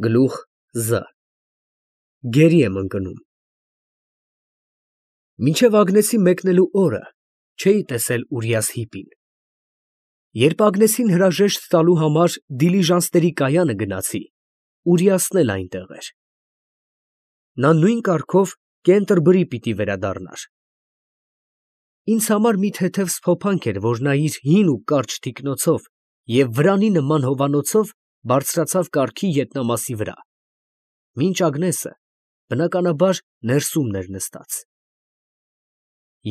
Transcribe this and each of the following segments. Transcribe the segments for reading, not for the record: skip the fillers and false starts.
Գլուխ Զ Գերի եմ ընկնում։ Մինչև Ագնեսի մեկնելու օրը չէի տեսել Ուրիաս֊Հիպին։ Երբ Ագնեսին հրաժեշտ տալու համար դիլիժանսների կայանը գնացի, Ուրիասն էլ այնտեղ էր։ Նա նույն կարգով կենտրբրի պիտի վերադառնար։ Ինձ համար մի թեթև սփոփանք էր, որ նա իր հին ու կարճ թիկնոցով և վրանի նման հովանոցով բարձրացավ կառքի ետնամասի վրա, մինչ Ագնեսը, բնականաբար, ներսումն էր նստած։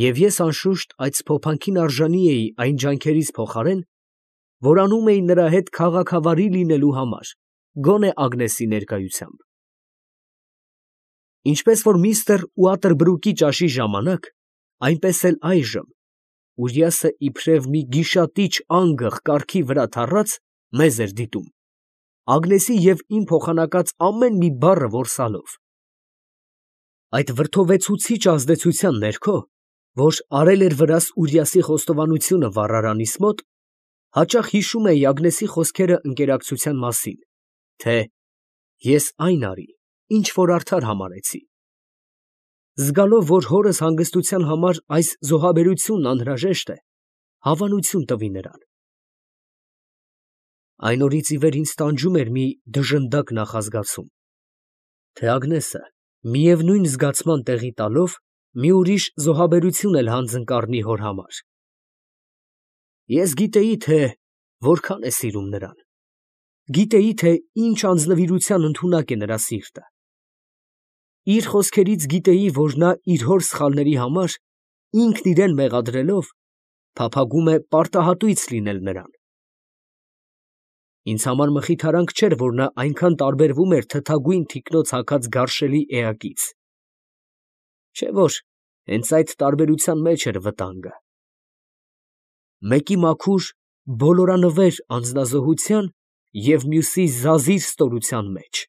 Եվ ես անշուշտ այդ սփոփանքին արժանի էի այն ջանքերիս փոխարեն, որ անում էի նրա հետ քաղաքավարի լինելու համար, գոնե Ագնեսի ներկայությամբ։ Ինչպես որ միստր Ուատերբրուկի ճաշի ժամանակ, այնպես էլ այժմ, Ուրիասը իբրև մի գիշատիչ անգղ կառքի վրա թառած, մեզ էր դիտում, Ագնեսի և իմ փոխանակած ամեն մի բառը որսալով։ Այդ վրդովեցուցիչ ազդեցության ներքո, որ արել էր վրաս Ուրիասի խոստովանությունը վառարանիս մոտ, հաճախ հիշում էի Ագնեսի խոսքերը ընկերակցության մասին, թե «ես այն արի, ինչ որ արդար համարեցի», զգալով, որ հորս հանգստության համար այս զոհաբերությունն անհրաժեշտ է, հավանություն տվի նրան։ Այն օրից ի վեր ինձ տանջում էր մի դժնդակ նախազգացում, թե Ագնեսը, միևնույն զգացման տեղի տալով, մի ուրիշ զոհաբերություն էլ հանձն կառնի հոր համար։ Ես գիտեի, թե որքան է սիրում նրան, գիտեի, թե ինչ անձնվիրության ընդունակ է նրա սիրտը։ Իր խոսքերից գիտեի, որ նա իր հոր սխալների համար, ինքն իրան մեղադրելով, փափագում է պարտահատույց լինել նրան։ Ինձ համար մխիթարանք չէր, որ նա այնքան տարբերվում էր թթագույն թիկնոց հագած գարշելի էակից։ Չէ՞ որ հենց այդ տարբերության մեջ էր վտանգը։ Մեկի մաքուր, բոլորանվեր անձնազոհության և մյուսի զազիր ստորության մեջ։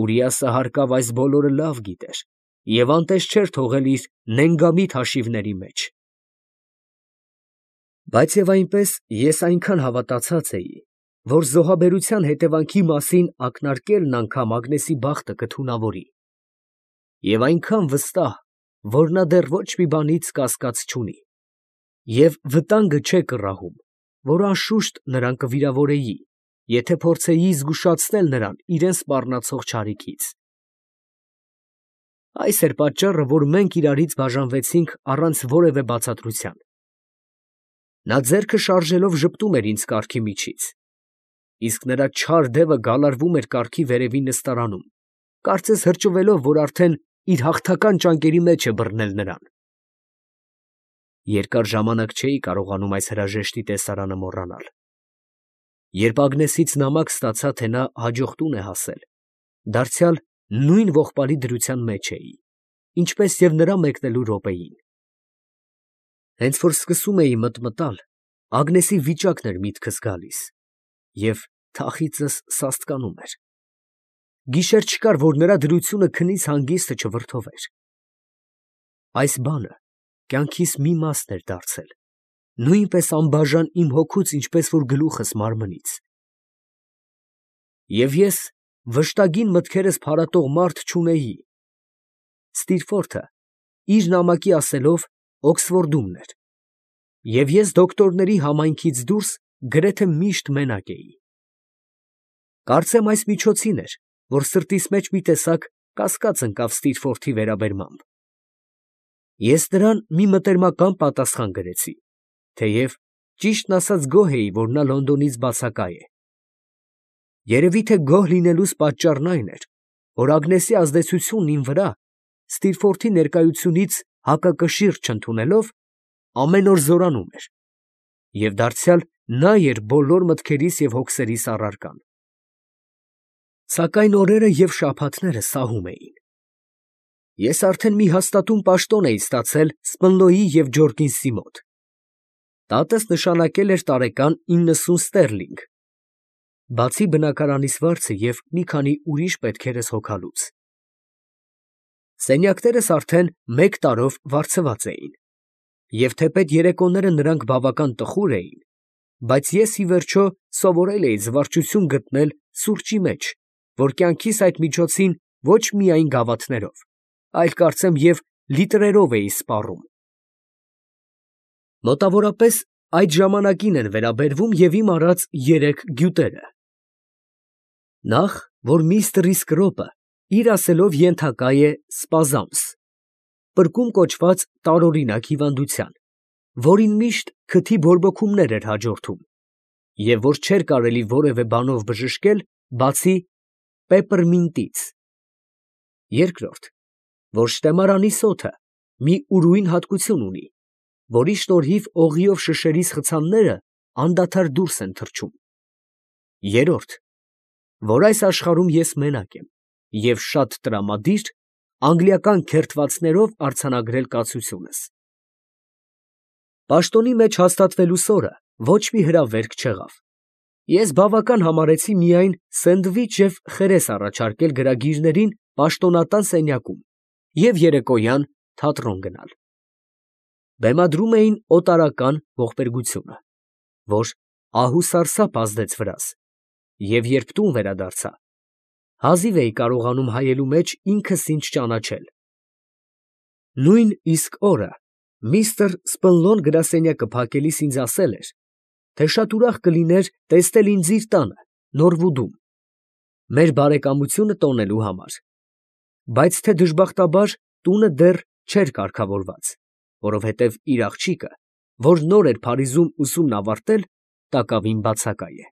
Ուրիասը հարկավ այս բոլորը լավ գիտեր և անտես չէր թողել իր նենգամիտ հաշիվների մեջ։ Բայց և այնպես ես այնքան հավատացած էի, որ զոհաբերության հետևանքի մասին ակնարկելն անգամ Ագնեսի բախտը կթունավորի, և այնքան վստահ, որ նա դեռ ոչ մի բանից կասկած չունի, և վտանգը չէ կռահում, որ անշուշտ նրան կվիրավորեի, եթե փորձեի զգուշացնել նրան իրան սպառնացող չարիքից։ Այս էր պատճառը, որ մենք իրարից բաժանվեցինք առանց որևէ բացատրության։ Նա ձեռքը շարժելով ժպտում էր ինձ կառքի միջից, իսկ նրա չար դևը գալարվում էր կառքի վերևի նստարանում, կարծես հրճվելով, որ արդեն իր հաղթական ճանկերի մեջ է բռնել նրան։ Երկար ժամանակ չէի կարողանում այս հրաժեշտի տեսարանը մոռանալ։ Երբ Ագնեսից նամակ ստացա, թե նա հաջող տուն է հասել, դարձյալ նույն ողբալի դրության մեջ էի, ինչպես և նրա մեկնելու րոպեին։ Հենց որ սկսում էի մտմտալ, Ագնեսի վիճակն էր միտքս գալիս, և թախիծս սաստկանում էր։ Գիշեր չկար, որ նրա դրությունը քնից հանգիստը չվրդովեր։ Այս բանը կյանքիս մի մասն էր դարձել, նույնպես անբաժան իմ հոգուց, ինչպես որ գլուխս մարմնից։ Եվ ես վշտագին մտքերս փարատող մարդ չունեի։ Ստիրֆորթը, իր նամակի ասելով, Օքսֆորդումն էր, և ես դոկտորների համայնքից դուրս գրեթե միշտ մենակ էի։ Կարծեմ այս միջոցին էր, որ սրտիս մեջ մի տեսակ կասկած ընկավ Ստիրֆորթի վերաբերմամբ։ Ես նրան մի մտերմական պատասխան գրեցի, թեև ճիշտն ասած գոհ էի, որ նա Լոնդոնից բացակա է։ Երևի թե գոհ լինելուս պատճառն այն էր, որ Ագնեսի ազդեցությունն իմ վրա, Ստիրֆորթի ներկայությունից հակակշիռ չընդունելով, ամեն օր զորանում էր, և դարձյալ նա էր բոլոր մտքերիս և հոգսերիս առարկան։ Սակայն օրերը և շաբաթները սահում էին։ Ես արդեն մի հաստատուն պաշտոն էի ստացել Սպնլոյի և Ջորկինսի մոտ։ Տատս նշանակել էր տարեկան 90 ստերլինգ, բացի բնակարանիս վարձը և մի քանի ուրիշ պետքերս հոգալուց։ Սենյակներս արդեն 1 տարով վարձված էին, և թեպետ երեկոները նրանք բավական տխուր էին, բայց ես ի վերջո սովորել էի զվարճություն գտնել սուրճի մեջ, որ կյանքիս այդ միջոցին ոչ միայն գավաթներով, այլ կարծեմ և լիտրերով էի սպառում։ Մոտավորապես այդ ժամանակին են վերաբերվում և իմ արած երեք գյուտերը. նախ, որ միստր Իսկրոպը իր ասելով ենթակա է սպազամս, պրկում կոչված տարօրինակ հիվանդության, որին միշտ քթի բորբոքումներ էր հաջորդում, և որ չէր կարելի որևէ բանով բժշկել, բացի պեպրմինտից. երկրորդ, որ շտեմարանի սոթը մի ուրույն հատկություն ունի, որի շնորհիվ օղիով շշերիս խցանները անդադար դուրս են թռչում, երրորդ, որ այս աշխարհում ես մենակ եմ և շատ տրամադիր անգլիական քերթվածներով արձանագրել կացությունս։ Պաշտոնի մեջ հաստատվելուս օրը ոչ մի հրավերք չեղավ։ Ես բավական համարեցի միայն սենդվիչ և խերես առաջարկել գրագիրներին պաշտոնատան սենյակում և երեկոյան թատրոն գնալ։ Բեմադրում էին օտարական ողբերգությունը, որ ահուսարսափ ազդեց վրաս, և երբ տուն վերադարձա, հազիվ էի կարողանում հայելու մեջ ինքս ինձ ճանաչել։ Նույն իսկ օրը միստր Սպընլոն գրասենյակը փակելիս ինձ ասել էր, թե շատ ուրախ կլիներ տեսնել ինձ իր տանը, Նորվուդում, մեր բարեկամությունը տոնելու համար, բայց թե դժբախտաբար տունը դեռ չէր կարգավորված, որովհետև իր աղջիկը, որ նոր էր Փարիզում ուսումն ավարտել, տակավին բացակայ է։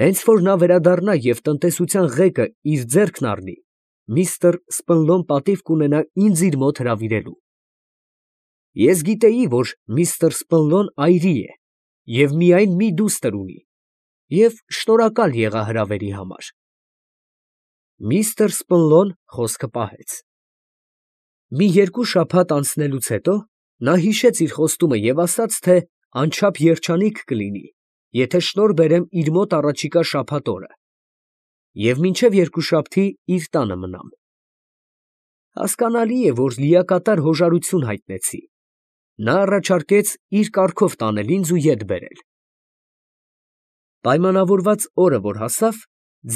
Հենց որ նա վերադառնա և տնտեսության ղեկը իր ձեռքն առնի, միստր Սպընլոն պատիվ կունենա ինձ իր մոտ հրավիրելու։ Ես գիտեի, որ միստր Սպընլոն այրի է և միայն մի դուստր ունի, և շնորհակալ եղա հրավերի համար։ Միստր Սպընլոն խոսքը պահեց։ Մի երկու շաբաթ անցնելուց հետո նա հիշեց իր խոստումը և ասաց, թե անչափ երջանիկ կլինի, եթե շնորհ բերեմ իր մոտ առաջիկա շաբաթ օրը և մինչև երկուշաբթի իր տանը մնամ։ Հասկանալի է, որ լիակատար հոժարություն հայտնեցի։ Նա առաջարկեց իր կառքով տանել ինձ ու ետ բերել։ Պայմանավորված օրը որ հասավ,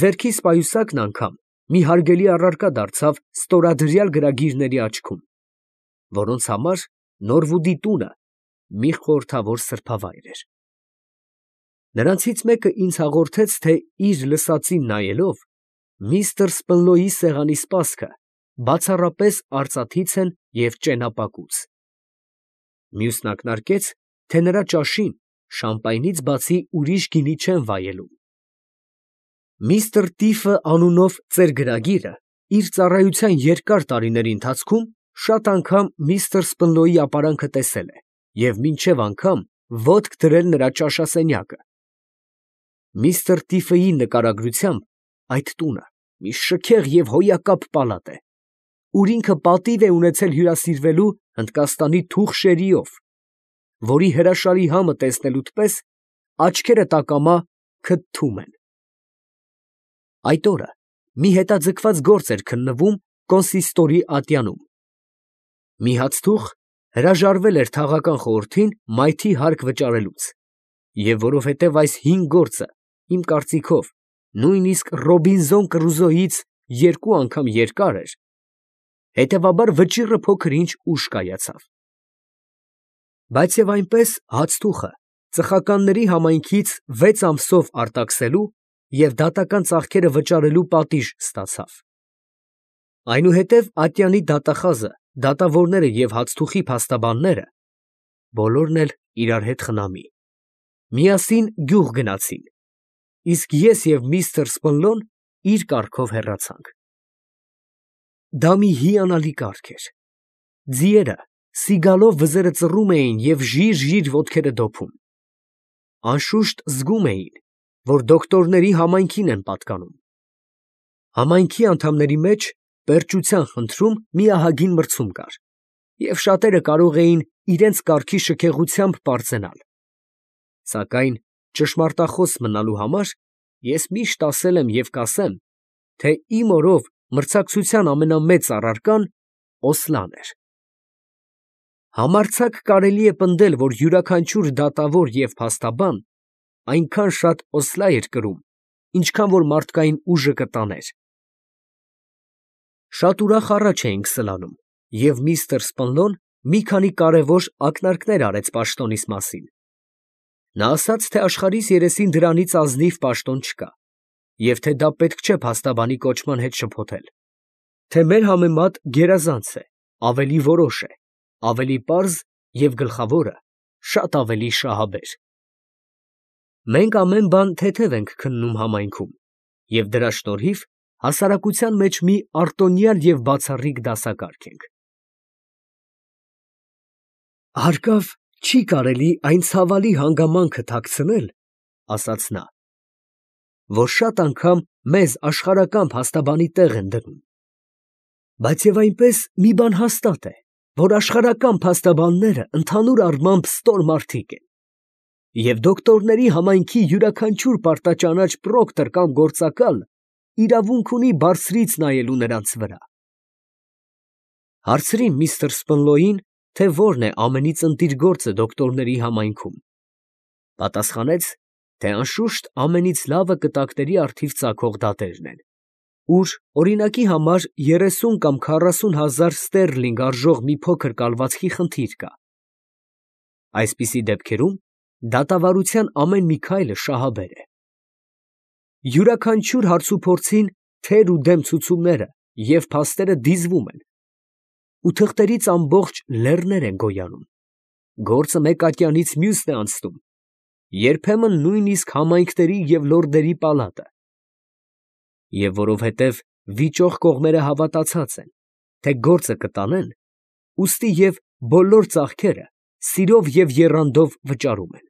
ձեռքիս պայուսակն անգամ մի հարգելի առարկա դարձավ ստորադրյալ գրագիրների աչքում, որոնց համար Նորվուդի տունը մի խորհրդավոր սրբավայր էր։ Նրանցից մեկը ինձ հաղորդեց, թե իր լսածին նայելով, միստր Սպընլոյի սեղանի սպասքը բացառապես արծաթից են և ճենապակուց։ Մյուսն ակնարկեց, թե նրա ճաշին շամպայնից բացի ուրիշ գինի չեն վայելում։ Միստր Տիֆը անունով ծեր գրագիրը իր ծառայության երկար տարիների ընթացքում շատ անգամ միստր Սպընլոյի ապարանքը տեսել է և մինչև անգամ ոտք դրել նրա ճաշասենյակը։ Միստր Տիֆեի նկարագրությամբ այդ տունը մի շքեղ և հոյակապ պալատ է, ուր ինքը պատիվ է ունեցել հյուրասիրվելու Հնդկաստանի թուխ շերիով, որի հրաշալի համը տեսնելուդ պես աչքերը տակամա քթթում են։ Այդ օրը մի հետաձգված գործ էր քննվում կոնսիստորի ատյանում։ Մի հացթուխ հրաժարվել էր թաղական խորհրդին մայթի հարկ վճարելուց, և որովհետև այս հին գործը, իմ կարծիքով, նույնիսկ Ռոբինզոն Կրուզոյից երկու անգամ երկար էր, հետևաբար վճիռը փոքր-ինչ ուշ կայացավ։ Բայց և այնպես հացթուխը ծխականների համայնքից 6 ամսով արտաքսելու և դատական ծախքերը վճարելու պատիժ ստացավ։ Այնուհետև ատյանի դատախազը, դատավորները և հացթուխի փաստաբանները (բոլորն էլ իրար հետ խնամի) միասին գյուղ գնացին, իսկ ես և միստր Սպընլոն իր կառքով հեռացանք։ Դա մի հիանալի կառք էր։ Ձիերը սիգալով վզերը ծռում էին և ժիր֊ժիր ոտքերը դոփում։ Անշուշտ զգում էին, որ դոկտորների համայնքին են պատկանում։ Համայնքի անդամների մեջ պերճության խնդրում մի ահագին մրցում կար, և շատերը կարող էին իրենց կառքի շքեղությամբ պարծենալ։ Սակայն ճշմարտախոս մնալու համար ես միշտ ասել եմ և կասեմ, թե իմ օրով մրցակցության ամենամեծ առարկան Օսլան էր։ Համարձակ կարելի է պնդել, որ յուրաքանչյուր դատավոր և փաստաբան այնքան շատ Օսլա էր կրում, ինչքան որ մարդկային ուժը կտաներ։ Շատ ուրախ առաջ էինք սլանում, և միստր Սպանլոն մի քանի կարևոր ակնարկներ արեց պաշտոնիս մասին։ Նա ասաց, թե աշխարհիս երեսին դրանից ազնիվ պաշտոն չկա, և թե դա պետք չէ փաստաբանի կոչման հետ շփոթել, թե մեր համեմատ գերազանց է, ավելի որոշ է, ավելի պարզ և գլխավորը շատ ավելի շահաբեր։ Մենք ամեն բան թեթև ենք քննում համայնքում, և դրա շնորհիվ հասարակության մեջ մի արտոնյալ և բացառիկ դասակարգ ենք։ Հարկավ չի կարելի այն ցավալի հանգամանքը թաքցնել, ասաց նա, որ շատ անգամ մեզ աշխարհական փաստաբանի տեղ են դնում, բայց և այնպես մի բան հաստատ է, որ աշխարհական փաստաբանները ընդհանուր առմամբ ստոր մարդիկ են, և դոկտորների համայնքի յուրաքանչյուր պարտաճանաչ պրոկտոր կամ գործակալ իրավունք ունի բարձրից նայելու նրանց վրա։ Հարցրի միստր Սպնլոյին, թե որն է ամենից ընտիր գործը դոկտորների համայնքում։ Պատասխանեց, թե անշուշտ ամենից լավը կտակների առթիվ ծագող դատերն են, ուր օրինակի համար 30 կամ 40 հազար ստերլինգ արժող մի փոքր կալվածքի խնդիր կա։ Այսպիսի դեպքերում դատավարության ամեն մի քայլը շահաբեր է։ Յուրաքանչյուր հարցուփորձին թեր ու դեմ ցուցումները և փաստերը դիզվում են, ու թղթերից ամբողջ լեռներ են գոյանում, գործը մեկ ատյանից մյուսն է անցնում, երբեմն նույնիսկ համայնքների և լորդերի պալատը։ Եվ որովհետև վիճող կողմերը հավատացած են, թե գործը կտանեն, ուստի և բոլոր ծախքերը սիրով և եռանդով վճարում են։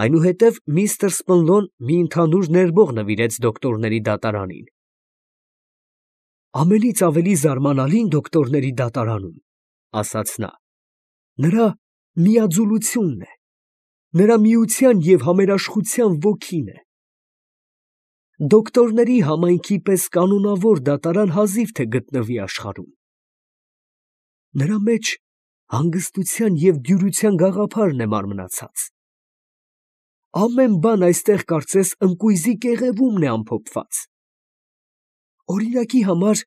Այնուհետև միստր Սպնլոն մի ընդհանուր ներբող նվիրեց դոկտորների դատարանին։ Ամենից ավելի զարմանալին դոկտորների դատարանում, ասաց նա, նրա միաձուլությունն է, նրա միության և համերաշխության ոգին է։ Դոկտորների համայնքի պես կանոնավոր դատարան հազիվ թե գտնվի աշխարհում։ Նրա մեջ հանգստության և դյուրության գաղափարն է մարմնացած։ Ամեն բան այստեղ կարծես ընկույզի կեղևումն է ամփոփված։ Օրինակի համար,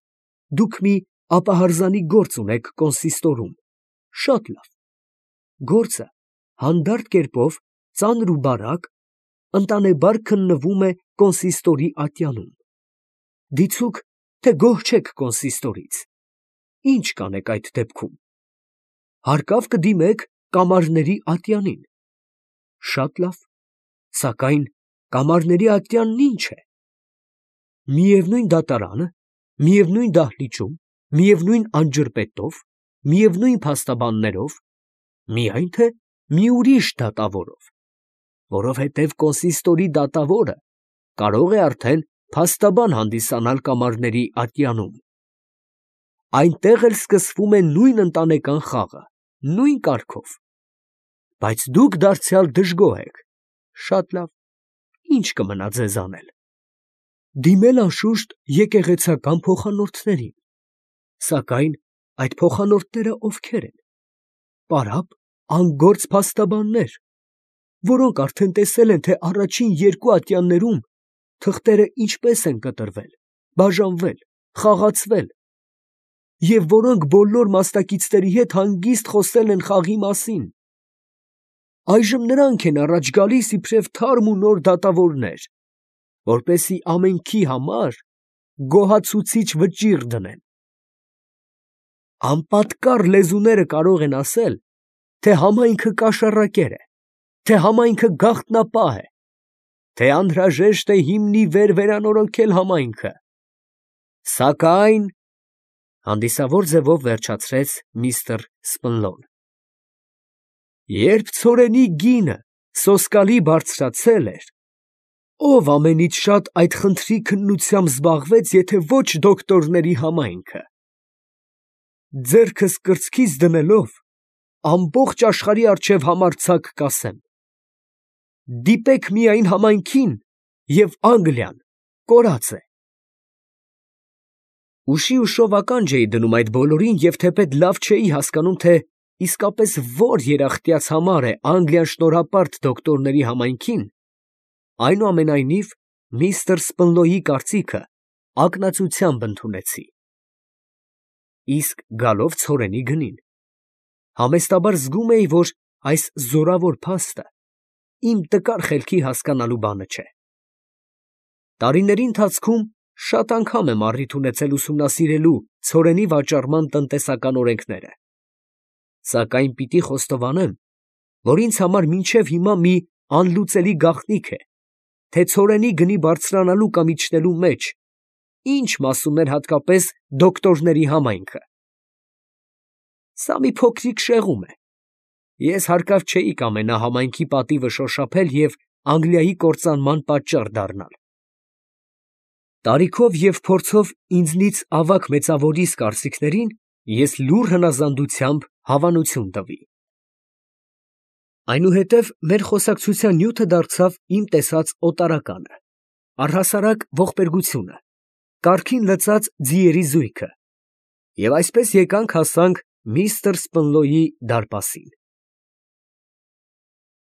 դուք մի ապահարզանի գործ ունեք կոնսիստորում, շատ լավ, գործը հանդարտ կերպով, ծանր ու բարակ, ընտանեբար քննվում է կոնսիստորի ատյանում։ Դիցուք, թե գոհ չեք կոնսիստորից, ի՞նչ կանեք այդ դեպքում։ Հարկավ կդիմեք կամարների ատյանին։ Շատ լավ, սակայն կամարների ատյանն ի՞նչ է։ Միևնույն դատարանը, միևնույն դահլիճում, միևնույն անջրպետով, միևնույն փաստաբաններով, միայն թե մի ուրիշ դատավորով, որովհետև կոնսիստորի դատավորը կարող է արդեն փաստաբան հանդիսանալ կամարների ատյանում։ Այնտեղ էլ սկսվում է նույն ընտանեկան խաղը, նույն կարգով։ Բայց դուք դարձյալ դժգոհ եք։ Շատ լավ, ի՞նչ կմնա ձեզ անել։ Դիմել անշուշտ եկեղեցական փոխանորդներին։ Սակայն այդ փոխանորդները ովքեր են։ Պարապ, անգործ փաստաբաններ, որոնք արդեն տեսել են, թե առաջին երկու ատյաններում թղթերը ինչպես են կտրվել, բաժանվել, խաղացվել, և որոնք բոլոր մասնակիցների հետ հանգիստ խոսել են խաղի մասին։ Այժմ նրանք են առաջ գալիս իբրև թարմ ու նոր դատավորներ, որպեսզի ամենքի համար գոհացուցիչ վճիռ դնեն։ Անպատկառ լեզուները կարող են ասել, թե համայնքը կաշառակեր է, թե համայնքը գաղտնապահ է, թե անհրաժեշտ է հիմնի վեր վերանորոգել համայնքը։ Սակայն, հանդիսավոր ձևով վերջացրեց միստր Սպնլոն, երբ ցորենի գինը սոսկալի բարձրացել էր, ով ամենից շատ այդ խնդրի քննությամբ զբաղվեց, եթե ոչ դոկտորների համայնքը։ Ձեռքս կրծքիս դնելով, ամբողջ աշխարհի առջև համարձակ կասեմ. դիպեք միայն համայնքին, և Անգլիան կորած է։ Ուշի ուշով ականջ էի դնում այդ բոլորին և թեպետ լավ չէի հասկանում, թե իսկապես որ երախտյաց համար է Անգլիան շնորհապարտ դոկտորների համայնքին, այնուամենայնիվ միստր Սպնլոյի կարծիքը ակնածությամբ ընդունեցի։ Իսկ գալով ցորենի գնին, համեստաբար զգում էի, որ այս զորավոր փաստը իմ տկար խելքի հասկանալու բանը չէ։ Տարիների ընթացքում շատ անգամ եմ առիթ ունեցել ուսումնասիրելու ցորենի վաճառման տնտեսական օրենքները, սակայն պիտի խոստովանեմ, որ ինձ համար մինչև հիմա մի անլուծելի գաղտնիք է, թե ցորենի գնի բարձրանալու կամ իջնելու մեջ ինչ մասում էր հատկապես դոկտորների համայնքը։ Սա մի փոքրիկ շեղում է։ Ես հարկավ չէի կամենա համայնքի պատիվը շոշափել և Անգլիայի կործանման պատճառ դառնալ։ Տարիքով և փորձով ինձնից ավագ մեծավորիս կարծիքներին ես լուռ հնազանդությամբ հավանություն տվի։ Այնուհետև մեր խոսակցության նյութը դարձավ իմ տեսած օտարականը, առհասարակ ողբերգությունը, կառքին լծած ձիերի զույգը, և այսպես եկանք հասանք միստր Սպնլոյի դարպասին։